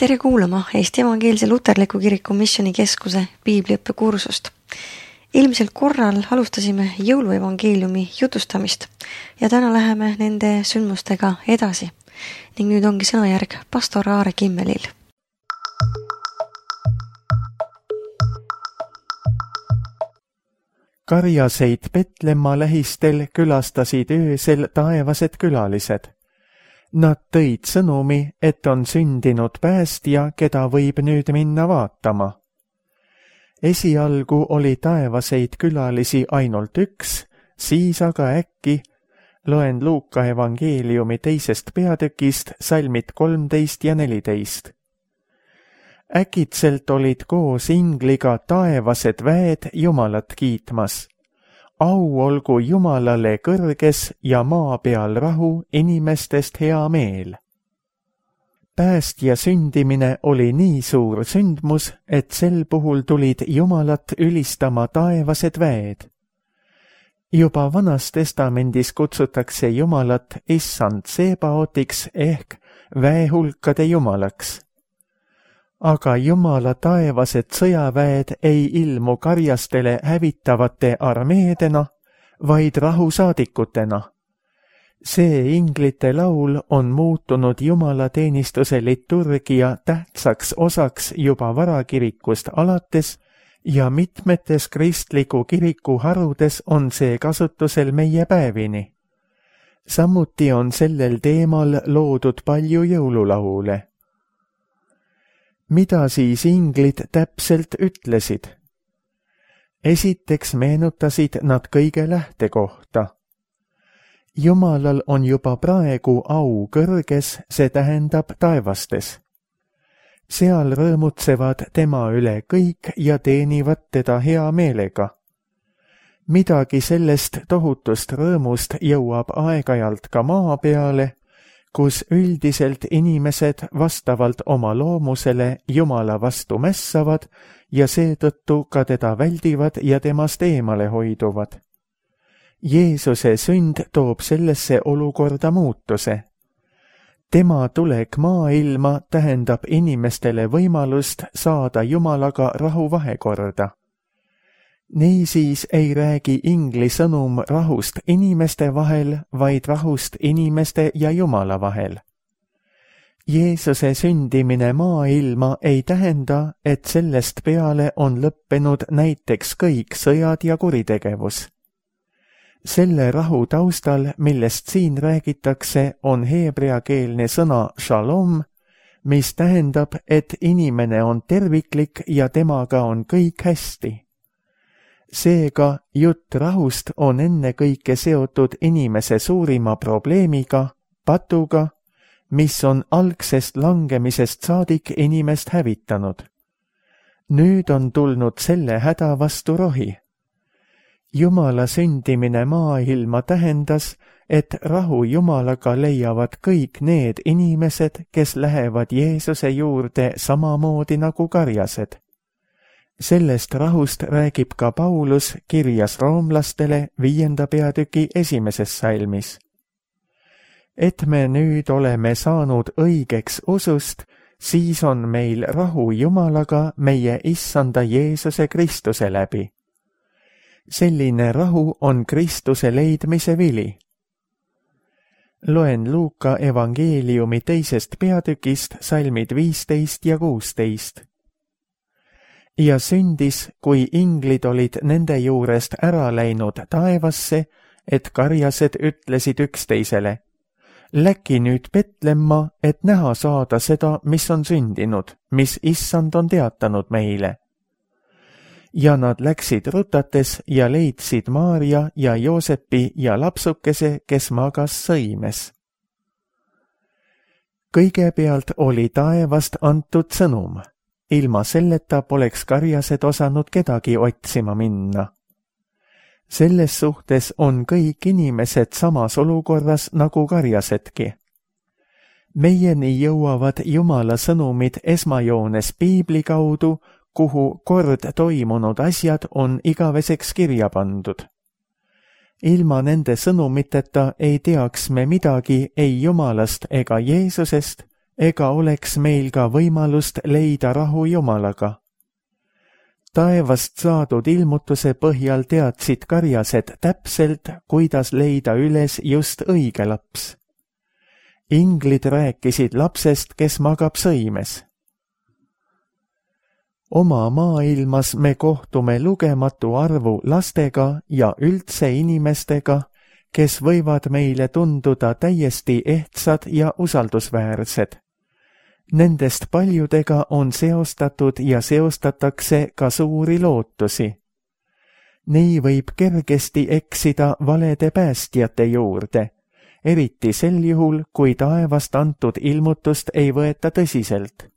Tere kuulama Eesti Evangeelse Luterliku Kiriku Missioonikeskuse piibliõppekursust. Eelmisel korral alustasime jõuluevangeeliumi jutustamist ja täna läheme nende sündmustega edasi. Ning nüüd ongi sõnajärg pastor Aare Kimmelil. Karjaseid Petlemma lähistel külastasid öösel taevased külalised. Nad tõid sõnumi, et on sündinud päästja, keda võib nüüd minna vaatama. Esialgu oli taevaseid külalisi ainult üks, siis aga äkki, loen Luuka evangeeliumi 2. peatükist salmid 13 ja 14. Äkitselt olid koos ingliga taevased väed Jumalat kiitmas. Au olgu Jumalale kõrges ja maa peal rahu, inimestest hea meel. Päästja sündimine oli nii suur sündmus, et sel puhul tulid Jumalat ülistama taevased väed. Juba Vanas Testamendis kutsutakse Jumalat Issand Sebaotiks ehk väehulkade Jumalaks. Aga Jumala taevased sõjaväed ei ilmu karjastele hävitavate armeedena, vaid rahusaadikutena. See inglite laul on muutunud jumalateenistuse liturgia tähtsaks osaks juba varakirikust alates ja mitmetes kristliku kiriku harudes on see kasutusel meie päevini. Samuti on sellel teemal loodud palju jõululaule. Mida siis inglid täpselt ütlesid? Esiteks meenutasid nad kõige lähtekohta. Jumalal on juba praegu au kõrges, see tähendab taevastes. Seal rõõmutsevad tema üle kõik ja teenivad teda hea meelega. Midagi sellest tohutust rõõmust jõuab aeg-ajalt ka maa peale, kus üldiselt inimesed vastavalt oma loomusele Jumala vastu mässavad ja seetõttu ka teda väldivad ja temast eemale hoiduvad. Jeesuse sünd toob sellesse olukorda muutuse. Tema tulek maailma tähendab inimestele võimalust saada Jumalaga rahuvahekorda. Niisiis ei räägi ingli sõnum rahust inimeste vahel, vaid rahust inimeste ja Jumala vahel. Jeesuse sündimine maailma ei tähenda, et sellest peale on lõppenud näiteks kõik sõjad ja kuritegevus. Selle rahu taustal, millest siin räägitakse, on heebreakeelne sõna shalom, mis tähendab, et inimene on terviklik ja temaga on kõik hästi. Seega jutt rahust on ennekõike seotud inimese suurima probleemiga, patuga, mis on algsest langemisest saadik inimest hävitanud. Nüüd on tulnud selle häda vastu rohi. Jumala sündimine maailma tähendas, et rahu Jumalaga leiavad kõik need inimesed, kes lähevad Jeesuse juurde samamoodi nagu karjased. Sellest rahust räägib ka Paulus kirjas roomlastele 5. peatüki 1. salmis. Et me nüüd oleme saanud õigeks usust, siis on meil rahu Jumalaga meie Issanda Jeesuse Kristuse läbi. Selline rahu on Kristuse leidmise vili. Loen Luuka evangeeliumi 2. peatükist salmid 15 ja 16. Ja sündis, kui inglid olid nende juurest ära läinud taevasse, et karjased ütlesid üksteisele, läki nüüd Petlemma, et näha saada seda, mis on sündinud, mis Issand on teatanud meile. Ja nad läksid rutates ja leidsid Maarja ja Joosepi ja lapsukese, kes magas sõimes. Kõigepealt oli taevast antud sõnum. Ilma selleta poleks karjased osanud kedagi otsima minna. Selles suhtes on kõik inimesed samas olukorras nagu karjasedki. Meieni jõuavad Jumala sõnumid esmajoones piibli kaudu, kuhu kord toimunud asjad on igaveseks kirja pandud. Ilma nende sõnumiteta ei teaks me midagi ei Jumalast ega Jeesusest, ega oleks meil ka võimalust leida rahu Jumalaga. Taevast saadud ilmutuse põhjal teadsid karjased täpselt, kuidas leida üles just õige laps. Inglid rääkisid lapsest, kes magab sõimes. Oma maailmas me kohtume lugematu arvu lastega ja üldse inimestega, kes võivad meile tunduda täiesti ehtsad ja usaldusväärsed. Nendest paljudega on seostatud ja seostatakse ka suuri lootusi. Nii võib kergesti eksida valede päästjate juurde, eriti sel juhul, kui taevast antud ilmutust ei võeta tõsiselt.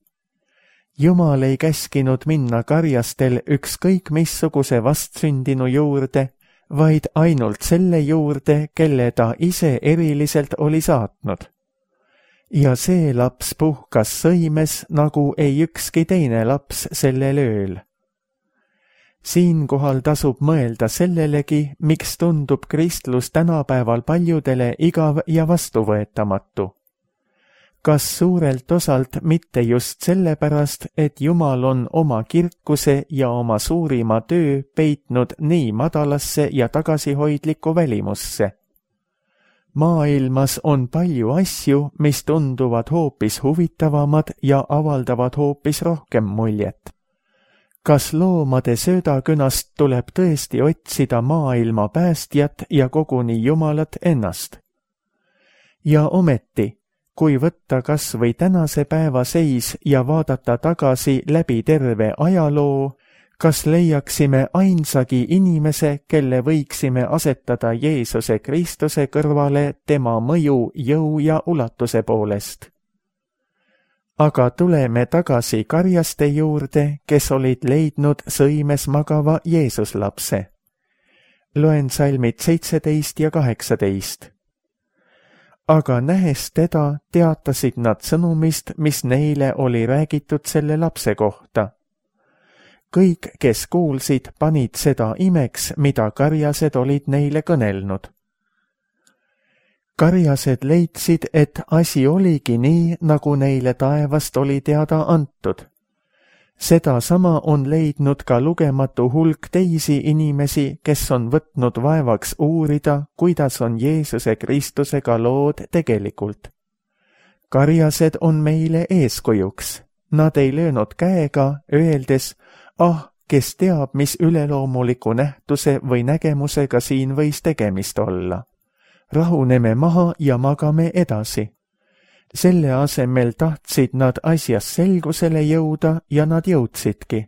Jumal ei käskinud minna karjastel ükskõik missuguse vastsündinu juurde, vaid ainult selle juurde, kelle ta ise eriliselt oli saatnud. Ja see laps puhkas sõimes, nagu ei ükski teine laps sellel ööl. Siinkohal tasub mõelda sellelegi, miks tundub kristlus tänapäeval paljudele igav ja vastuvõetamatu. Kas suurelt osalt mitte just sellepärast, et Jumal on oma kirkuse ja oma suurima töö peitnud nii madalasse ja tagasihoidlikku välimusse? Maailmas on palju asju, mis tunduvad hoopis huvitavamad ja avaldavad hoopis rohkem muljet. Kas loomade söödakünast tuleb tõesti otsida maailma päästjat ja koguni Jumalat ennast? Ja ometi, kui võtta kas või tänase päeva seis ja vaadata tagasi läbi terve ajaloo, kas leiaksime ainsagi inimese, kelle võiksime asetada Jeesuse Kristuse kõrvale tema mõju, jõu ja ulatuse poolest? Aga tuleme tagasi karjaste juurde, kes olid leidnud sõimes magava Jeesuslapse. Loen salmid 17 ja 18. Aga nähes teda, teatasid nad sõnumist, mis neile oli räägitud selle lapse kohta. Kõik, kes kuulsid, panid seda imeks, mida karjased olid neile kõnelnud. Karjased leidsid, et asi oligi nii, nagu neile taevast oli teada antud. Seda sama on leidnud ka lugematu hulk teisi inimesi, kes on võtnud vaevaks uurida, kuidas on Jeesuse Kristusega lood tegelikult. Karjased on meile eeskujuks. Nad ei löönud käega, öeldes, kes teab, mis üleloomuliku nähtuse või nägemusega siin võis tegemist olla. Rahuneme maha ja magame edasi. Selle asemel tahtsid nad asjas selgusele jõuda ja nad jõudsidki.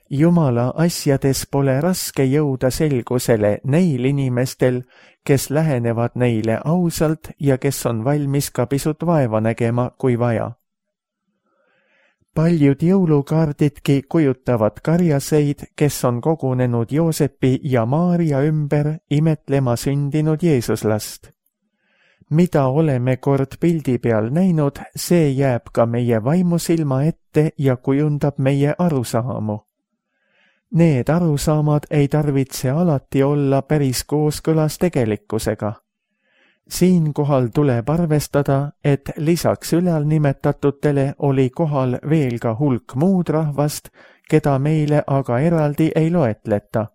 Jumala asjades pole raske jõuda selgusele neil inimestel, kes lähenevad neile ausalt ja kes on valmis ka pisut vaeva nägema, kui vaja. Paljud jõulukaardidki kujutavad karjaseid, kes on kogunenud Joosepi ja Maaria ümber imetlema sündinud Jeesuslast. Mida oleme kord pildi peal näinud, see jääb ka meie vaimusilma ette ja kujundab meie arusaamu. Need arusaamad ei tarvitse alati olla päris kooskõlas tegelikkusega. Siinkohal tuleb arvestada, et lisaks ülalnimetatutele oli kohal veel ka hulk muud rahvast, keda meile aga eraldi ei loetleta.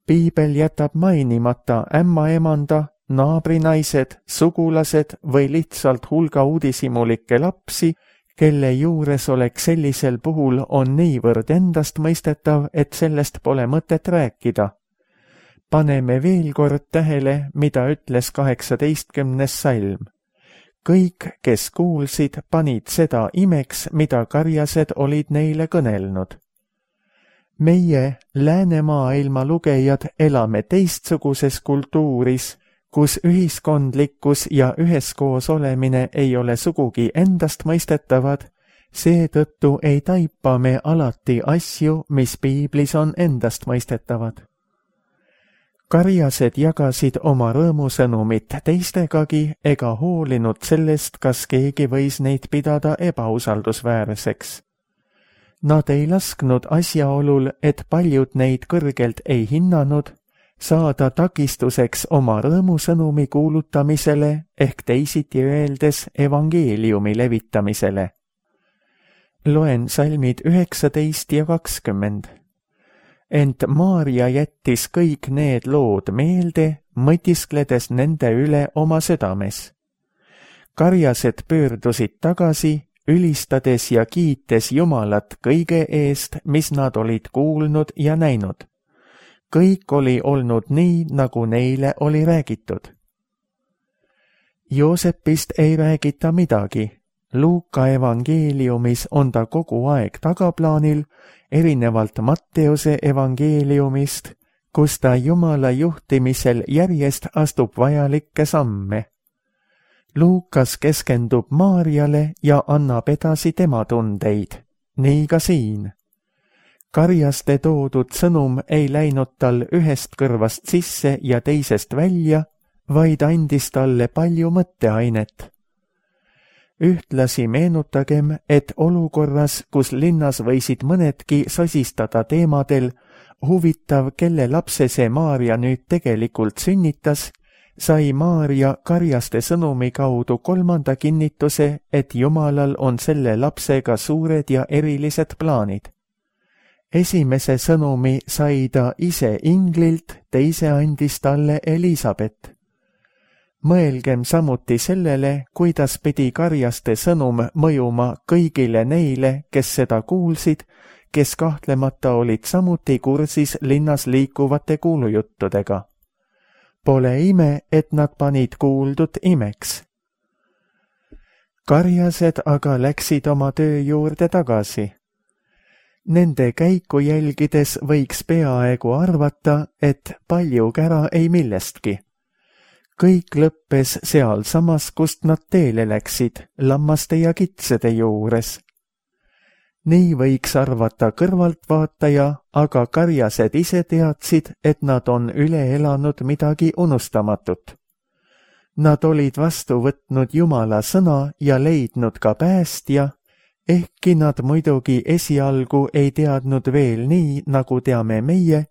Piibel jätab mainimata ämmaemanda, naabrinaised, sugulased või lihtsalt hulga uudishimulikke lapsi, kelle juures oleks sellisel puhul on niivõrd endastmõistetav, et sellest pole mõtet rääkida. Paneme veel kord tähele, mida ütles 18. salm. Kõik, kes kuulsid, panid seda imeks, mida karjased olid neile kõnelnud. Meie, läänemaailma lugejad, elame teistsuguses kultuuris, kus ühiskondlikkus ja üheskoos olemine ei ole sugugi endastmõistetavad, seetõttu ei taipa me alati asju, mis piiblis on endastmõistetavad. Karjased jagasid oma rõõmusõnumit teistegagi ega hoolinud sellest, kas keegi võis neid pidada ebausaldusväärseks. Nad ei lasknud asjaolul, et paljud neid kõrgelt ei hinnanud, saada takistuseks oma rõõmusõnumi kuulutamisele ehk teisiti öeldes evangeeliumi levitamisele. Loen salmid 19 ja 20. Ent Maarja jättis kõik need lood meelde, mõtiskledes nende üle oma südames. Karjased pöördusid tagasi, ülistades ja kiites Jumalat kõige eest, mis nad olid kuulnud ja näinud. Kõik oli olnud nii, nagu neile oli räägitud. Joosepist ei räägita midagi. Luuka evangeeliumis on ta kogu aeg tagaplaanil, erinevalt Matteuse evangeeliumist, kus ta Jumala juhtimisel järjest astub vajalikke samme. Luukas keskendub Maarjale ja annab edasi tema tundeid, nii ka siin. Karjaste toodud sõnum ei läinud tal ühest kõrvast sisse ja teisest välja, vaid andis talle palju mõtteainet. Ühtlasi meenutagem, et olukorras, kus linnas võisid mõnedki sosistada teemadel, huvitav, kelle lapse see Maarja nüüd tegelikult sünnitas, sai Maarja Karjaste sõnumi kaudu kolmanda kinnituse, et Jumalal on selle lapsega suured ja erilised plaanid. Esimese sõnumi sai ta ise inglilt, teise andis talle Elisabet. Mõelgem samuti sellele, kuidas pidi Karjaste sõnum mõjuma kõigile neile, kes seda kuulsid, kes kahtlemata olid samuti kursis linnas liikuvate kuulujuttudega. Pole ime, et nad panid kuuldut imeks. Karjased aga läksid oma töö juurde tagasi. Nende käiku jälgides võiks peaaegu arvata, et palju kära ei millestki. Kõik lõppes sealsamas, kust nad teele läksid, lammaste ja kitsede juures. Nii võiks arvata kõrvaltvaataja, aga karjased ise teadsid, et nad on üle elanud midagi unustamatut. Nad olid vastu võtnud Jumala sõna ja leidnud ka päästja, ehkki nad muidugi esialgu ei teadnud veel nii, nagu teame meie,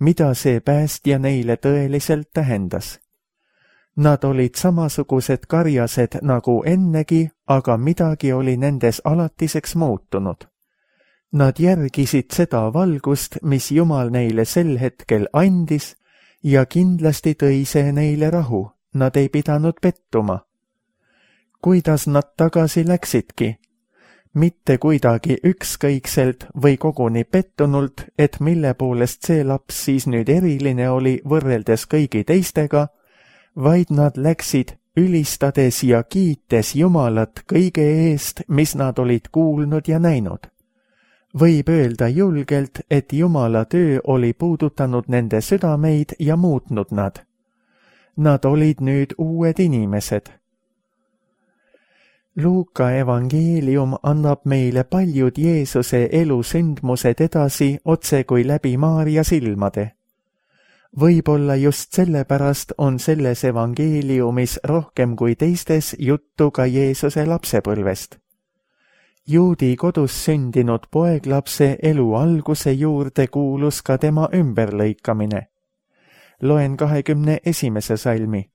mida see päästja neile tõeliselt tähendas. Nad olid samasugused karjased nagu ennegi, aga midagi oli nendes alatiseks muutunud. Nad järgisid seda valgust, mis Jumal neile sel hetkel andis, ja kindlasti tõi see neile rahu, nad ei pidanud pettuma. Kuidas nad tagasi läksidki? Mitte kuidagi ükskõikselt või koguni pettunult, et mille poolest see laps siis nüüd eriline oli võrreldes kõigi teistega, vaid nad läksid ülistades ja kiites Jumalat kõige eest, mis nad olid kuulnud ja näinud. Võib öelda julgelt, et Jumala töö oli puudutanud nende südameid ja muutnud nad. Nad olid nüüd uued inimesed. Luuka evangeelium annab meile paljud Jeesuse elusündmused edasi otse kui läbi Maarja silmade. Võib-olla just sellepärast on selles evangeeliumis rohkem kui teistes juttu ka Jeesuse lapsepõlvest. Juudi kodus sündinud poeglapse elu alguse juurde kuulus ka tema ümberlõikamine. Loen 21. salmi.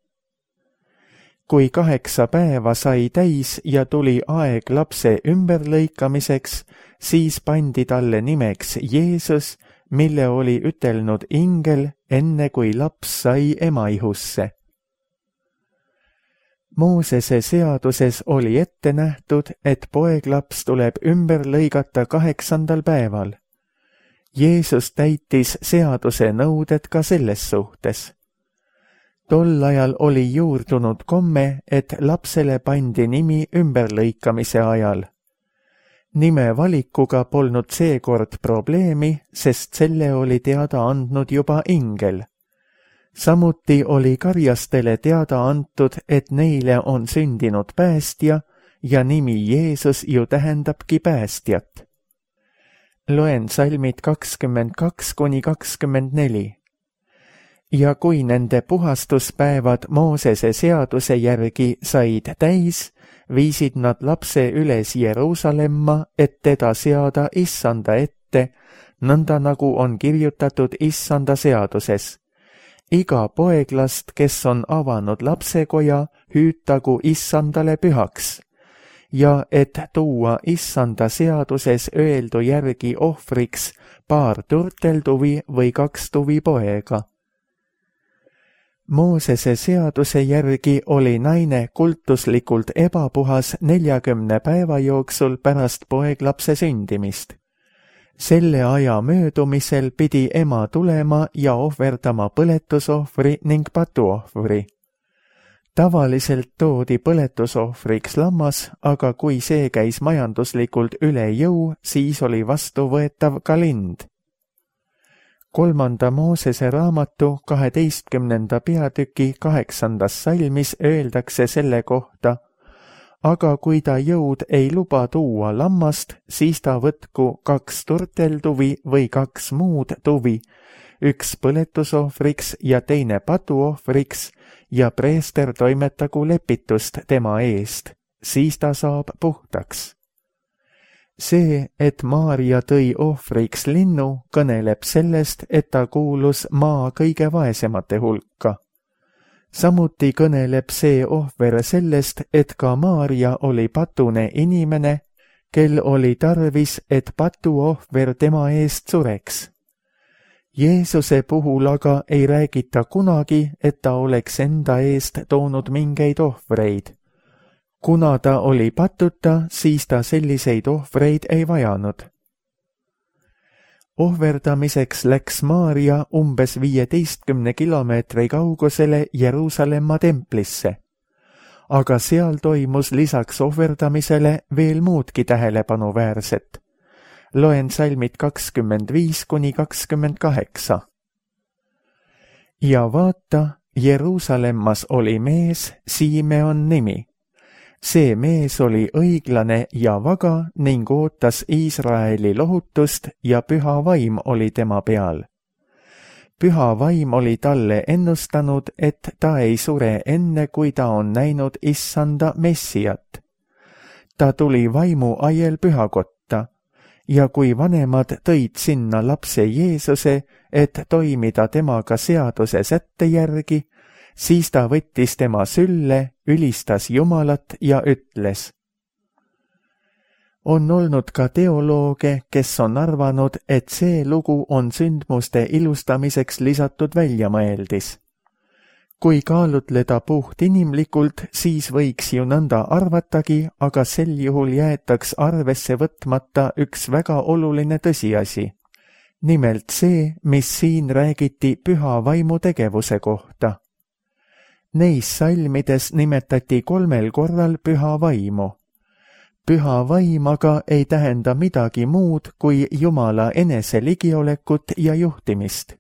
Kui 8 päeva sai täis ja tuli aeg lapse ümberlõikamiseks, siis pandi talle nimeks Jeesus, mille oli ütelnud ingel, enne kui laps sai ema ihusse. Moosese seaduses oli ette nähtud, et poeglaps tuleb ümber lõigata 8. päeval. Jeesus täitis seaduse nõuded ka selles suhtes. Tol ajal oli juurdunud komme, et lapsele pandi nimi ümberlõikamise ajal. Nime valikuga polnud seekord probleemi, sest selle oli teada andnud juba ingel. Samuti oli karjastele teada antud, et neile on sündinud päästja ja nimi Jeesus ju tähendabki päästjat. Loen salmid 22–24. Ja kui nende puhastuspäevad Moosese seaduse järgi said täis, viisid nad lapse üles Jeruusalemma, et teda seada Issanda ette, nõnda nagu on kirjutatud Issanda seaduses. iga poeglast, kes on avanud lapsekoja, hüütagu issandale pühaks, ja et tuua issanda seaduses öeldu järgi ohvriks paar turteltuvi või 2 tuvipoega. Moosese seaduse järgi oli naine kultuslikult ebapuhas 40 päeva jooksul pärast poeglapse sündimist. Selle aja möödumisel pidi ema tulema ja ohverdama põletusohvri ning patuohvri. Tavaliselt toodi põletusohvriks lammas, aga kui see käis majanduslikult üle jõu, siis oli vastuvõetav ka lind. 3. Moosese raamatu 12. peatüki 8. salmis öeldakse selle kohta: aga kui ta jõud ei luba tuua lammast, siis ta võtku 2 turteltuvi või 2 muud tuvi, 1 põletusohvriks ja teine patuohvriks, ja preester toimetagu lepitust tema eest, siis ta saab puhtaks. See, et Maarja tõi ohvriks linnu, kõneleb sellest, et ta kuulus maa kõige vaesemate hulka. Samuti kõneleb see ohver sellest, et ka Maarja oli patune inimene, kel oli tarvis, et patuohver tema eest sureks. Jeesuse puhul aga ei räägita kunagi, et ta oleks enda eest toonud mingeid ohvreid. Kuna ta oli patuta, siis ta selliseid ohvreid ei vajanud. Ohverdamiseks läks Maarja umbes 15 kilomeetri kaugusele Jeruusalemma templisse, aga seal toimus lisaks ohverdamisele veel muudki tähelepanuväärset. Loen salmid 25–28. Ja vaata, Jeruusalemmas oli mees, Simeon nimi. See mees oli õiglane ja vaga ning ootas Iisraeli lohutust ja püha vaim oli tema peal. Püha vaim oli talle ennustanud, et ta ei sure enne, kui ta on näinud issanda Messiat. Ta tuli vaimu ajel pühakotta, ja kui vanemad tõid sinna lapse Jeesuse, et toimida temaga seaduse sätte järgi, siis ta võttis tema sülle, ülistas Jumalat ja ütles. On olnud ka teolooge, kes on arvanud, et see lugu on sündmuste ilustamiseks lisatud väljamõeldis. Kui kaalutleda puht inimlikult, siis võiks ju nõnda arvatagi, aga sel juhul jäetaks arvesse võtmata üks väga oluline tõsiasi. Nimelt see, mis siin räägiti püha vaimu tegevuse kohta. Neis salmides nimetati 3 korral püha vaimu. Püha vaim aga ei tähenda midagi muud kui Jumala enese ligiolekut ja juhtimist.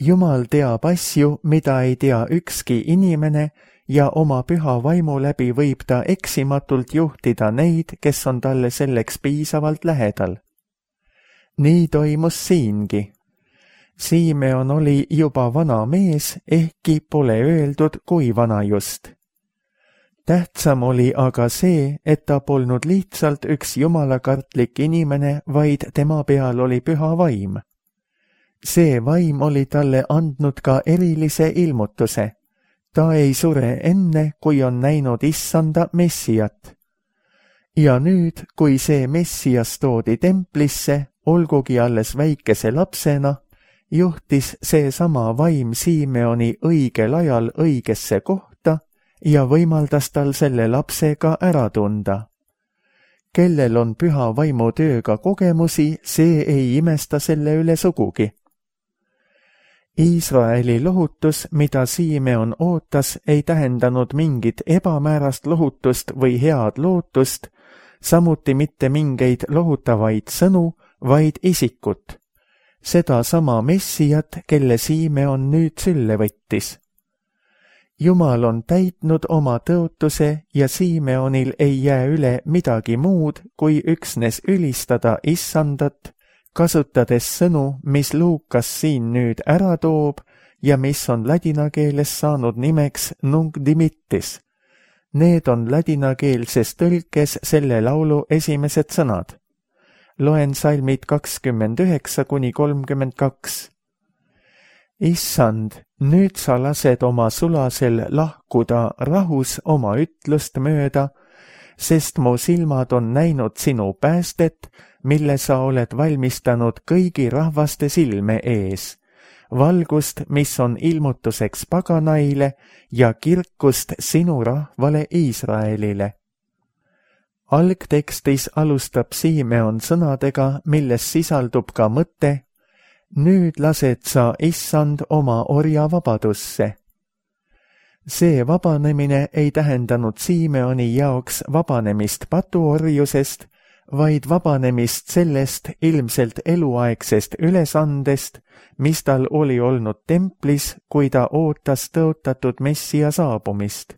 Jumal teab asju, mida ei tea ükski inimene, ja oma püha vaimu läbi võib ta eksimatult juhtida neid, kes on talle selleks piisavalt lähedal. Nii toimus siingi. Simeon oli juba vana mees, ehkki pole öeldud, kui vana just. Tähtsam oli aga see, et ta polnud lihtsalt üks jumalakartlik inimene, vaid tema peal oli püha vaim. See vaim oli talle andnud ka erilise ilmutuse. Ta ei sure enne, kui on näinud issanda Messiat. Ja nüüd, kui see Messias toodi templisse, olgugi alles väikese lapsena, juhtis seesama vaim Simeoni õigel ajal õigesse kohta ja võimaldas tal selle lapse ka ära tunda. Kellel on püha vaimu tööga kogemusi, see ei imesta selle üle sugugi. Iisraeli lohutus, mida Simeon ootas, ei tähendanud mingit ebamäärast lohutust või head lootust, samuti mitte mingeid lohutavaid sõnu, vaid isikut. Seda sama Messiat, kelle Simeon nüüd sülle võttis. Jumal on täitnud oma tõotuse ja Simeonil ei jää üle midagi muud, kui üksnes ülistada issandat, kasutades sõnu, mis Luukas siin nüüd ära toob ja mis on ladina keeles saanud nimeks Nunc Dimittis. Need on ladinakeelses tõlkes selle laulu esimesed sõnad. Loen salmid 29–32. Issand, nüüd sa lased oma sulasel lahkuda rahus oma ütlust mööda, sest mu silmad on näinud sinu päästet, mille sa oled valmistanud kõigi rahvaste silme ees, valgust, mis on ilmutuseks paganaile ja kirkust sinu rahvale Iisraelile. Algtekstis alustab Simeon sõnadega, milles sisaldub ka mõte: nüüd lased sa, Issand, oma orja vabadusse. See vabanemine ei tähendanud Simeoni jaoks vabanemist patuorjusest, vaid vabanemist sellest ilmselt eluaegsest ülesandest, mis tal oli olnud templis, kui ta ootas tõotatud Messia saabumist.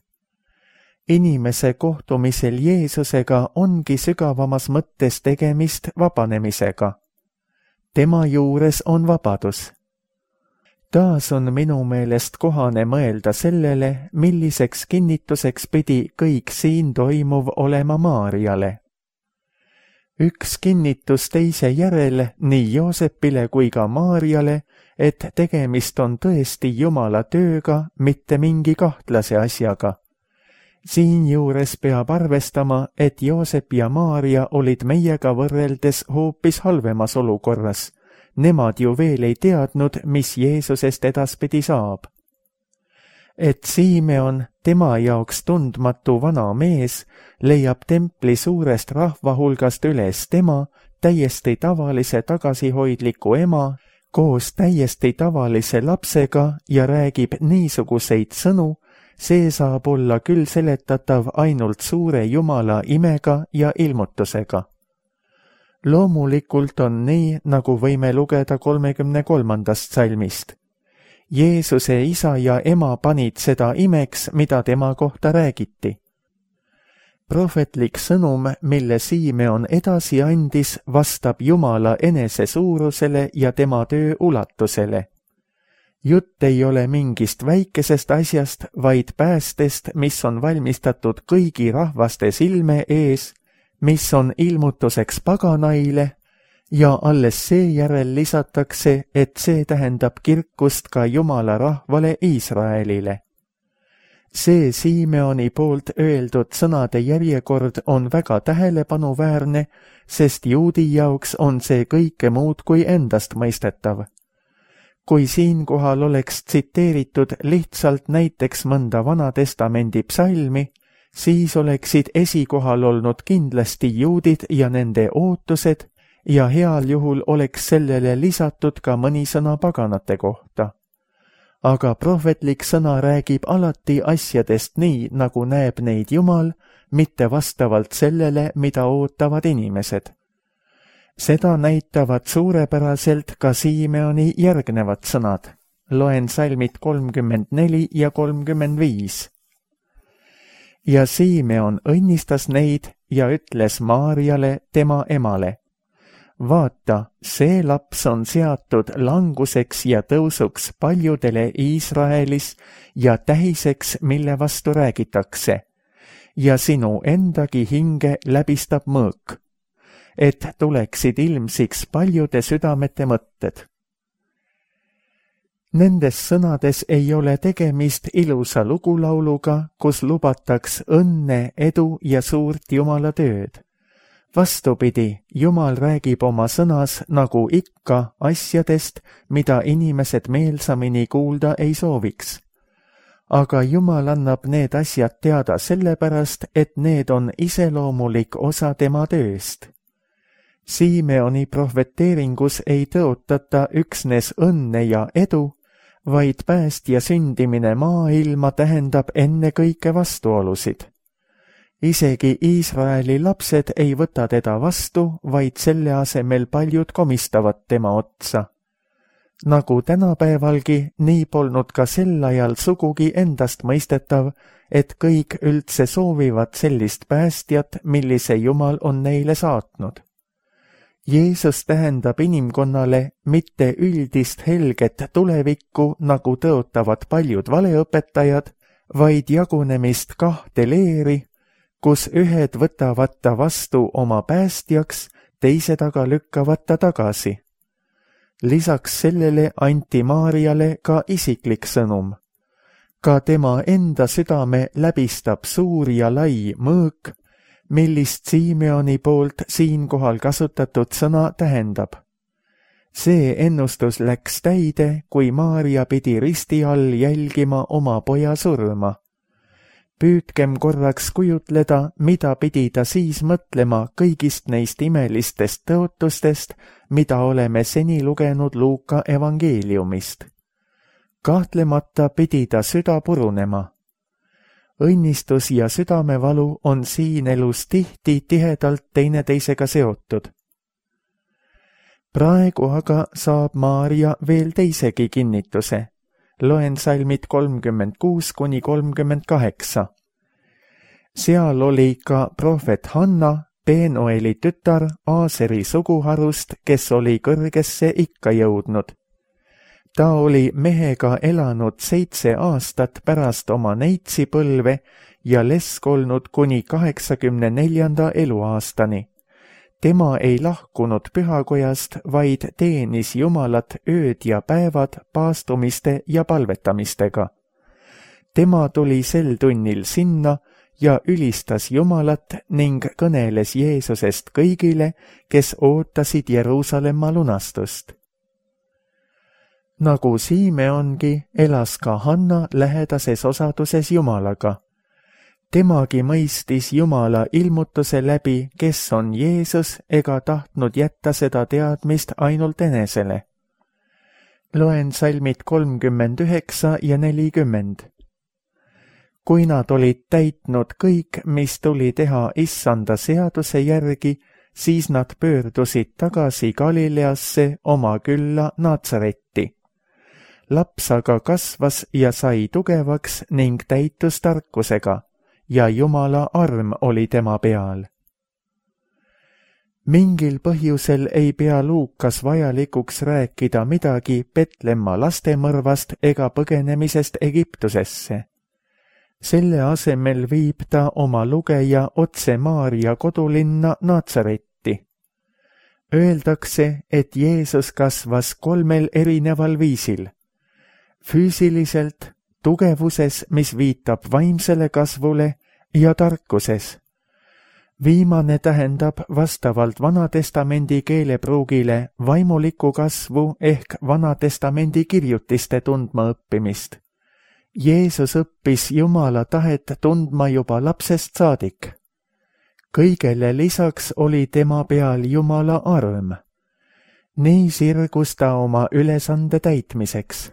Inimese kohtumisel Jeesusega ongi sügavamas mõttes tegemist vabanemisega. Tema juures on vabadus. Taas on minu meelest kohane mõelda sellele, milliseks kinnituseks pidi kõik siin toimuv olema Maarjale. Üks kinnitus teise järel nii Joosepile kui ka Maarjale, et tegemist on tõesti Jumala tööga, mitte mingi kahtlase asjaga. Siinjuures peab arvestama, et Joosep ja Maarja olid meiega võrreldes hoopis halvemas olukorras. Nemad ju veel ei teadnud, mis Jeesusest edaspidi saab. Et Simeon, tema jaoks tundmatu vana mees, leiab templi suurest rahva hulgast üles tema, täiesti tavalise tagasihoidliku ema, koos täiesti tavalise lapsega ja räägib niisuguseid sõnu, see saab olla küll seletatav ainult suure Jumala imega ja ilmutusega. Loomulikult on nii, nagu võime lugeda 33. salmist. Jeesuse isa ja ema panid seda imeks, mida tema kohta räägiti. Prohvetlik sõnum, mille Simeon edasi andis, vastab Jumala enese suurusele ja tema töö ulatusele. Jutt ei ole mingist väikesest asjast, vaid päästest, mis on valmistatud kõigi rahvaste silme ees, mis on ilmutuseks paganaile, ja alles seejärel lisatakse, et see tähendab kirkust ka Jumala rahvale Iisraelile. See Simeoni poolt öeldud sõnade järjekord on väga tähelepanuväärne, sest juudi jaoks on see kõike muud kui endastmõistetav. Kui siinkohal oleks tsiteeritud lihtsalt näiteks mõnda Vanatestamendi psalmi, siis oleksid esikohal olnud kindlasti juudid ja nende ootused ja heal juhul oleks sellele lisatud ka mõni sõna paganate kohta. Aga prohvetlik sõna räägib alati asjadest nii, nagu näeb neid Jumal, mitte vastavalt sellele, mida ootavad inimesed. Seda näitavad suurepäraselt ka Simeoni järgnevad sõnad. Loen salmid 34 ja 35. Ja Simeon õnnistas neid ja ütles Maarjale, tema emale: vaata, see laps on seatud languseks ja tõusuks paljudele Iisraelis ja tähiseks, mille vastu räägitakse, ja sinu endagi hinge läbistab mõõk, et tuleksid ilmsiks paljude südamete mõtted. Nendes sõnades ei ole tegemist ilusa lugulauluga, kus lubataks õnne, edu ja suurt Jumala tööd. Vastupidi, Jumal räägib oma sõnas nagu ikka asjadest, mida inimesed meelsamini kuulda ei sooviks. Aga Jumal annab need asjad teada sellepärast, et need on iseloomulik osa tema tööst. Simeoni prohveteeringus ei tõotata üksnes õnne ja edu, vaid päästja sündimine maailma tähendab ennekõike vastuolusid. Isegi Iisraeli lapsed ei võta teda vastu, vaid selle asemel paljud komistavad tema otsa. Nagu tänapäevalgi, nii polnud ka sel ajal sugugi endastmõistetav, et kõik üldse soovivad sellist päästjat, millise Jumal on neile saatnud. Jeesus tähendab inimkonnale mitte üldist helget tulevikku, nagu tõotavad paljud valeõpetajad, vaid jagunemist kahte leeri, kus ühed võtavad ta vastu oma päästjaks, teised aga lükkavad ta tagasi. Lisaks sellele anti Maarjale ka isiklik sõnum. Ka tema enda südame läbistab suur ja lai mõõk, millist Simeoni poolt siinkohal kasutatud sõna tähendab. See ennustus läks täide, kui Maarja pidi risti all jälgima oma poja surma. Püüdkem korraks kujutleda, mida pidi ta siis mõtlema kõigist neist imelistest tõotustest, mida oleme seni lugenud Luuka evangeeliumist. Kahtlemata pidi ta süda purunema. Õnnistus ja südamevalu on siin elus tihti tihedalt teineteisega seotud. Praegu aga saab Maarja veel teisegi kinnituse. Loen salmid 36–38. Seal oli ka prohvet Hanna, Penueli tütar Aaseri suguharust, kes oli kõrgesse ikka jõudnud. Ta oli mehega elanud 7 aastat pärast oma neitsipõlve ja lesk olnud kuni 84. eluaastani. Tema ei lahkunud pühakojast, vaid teenis Jumalat ööd ja päevad paastumiste ja palvetamistega. Tema tuli sel tunnil sinna ja ülistas Jumalat ning kõneles Jeesusest kõigile, kes ootasid Jeruusalemma lunastust. Nagu Simeongi elas ka Hanna lähedases osaduses Jumalaga. Temagi mõistis Jumala ilmutuse läbi, kes on Jeesus, ega tahtnud jätta seda teadmist ainult enesele. Loen salmid 39 ja 40. Kui nad olid täitnud kõik, mis tuli teha Issanda seaduse järgi, siis nad pöördusid tagasi Galileasse oma külla Natsaretti. Laps aga kasvas ja sai tugevaks ning täitus tarkusega, ja Jumala arm oli tema peal. Mingil põhjusel ei pea Luukas vajalikuks rääkida midagi Petlemma lastemõrvast ega põgenemisest Egiptusesse. Selle asemel viib ta oma lugeja otse Maarja kodulinna Natsaretti. Öeldakse, et Jeesus kasvas 3 erineval viisil. Füüsiliselt, tugevuses, mis viitab vaimsele kasvule, ja tarkuses. Viimane tähendab vastavalt Vanatestamendi keelepruugile vaimulikku kasvu ehk Vanatestamendi kirjutiste tundma õppimist. Jeesus õppis Jumala tahet tundma juba lapsest saadik. Kõigele lisaks oli tema peal Jumala arm. Nii sirgus ta oma ülesande täitmiseks.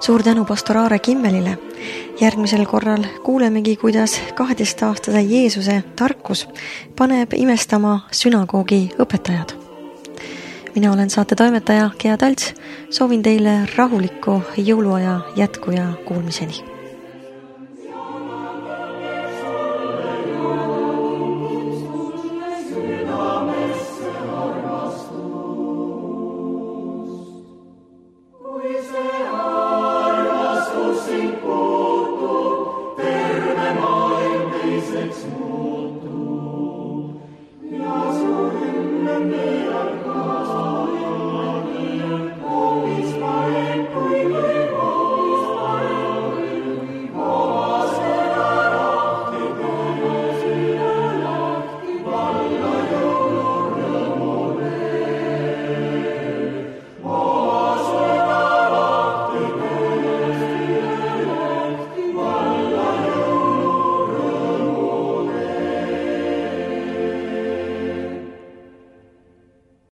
Suur tänu pastor Aare Kimmelile. Järgmisel korral kuulemegi, kuidas 12-aastase Jeesuse tarkus paneb imestama sünagoogi õpetajad. Mina olen saate toimetaja Gea Talts. Soovin teile rahulikku jõuluaja jätku ja kuulmiseni. Ja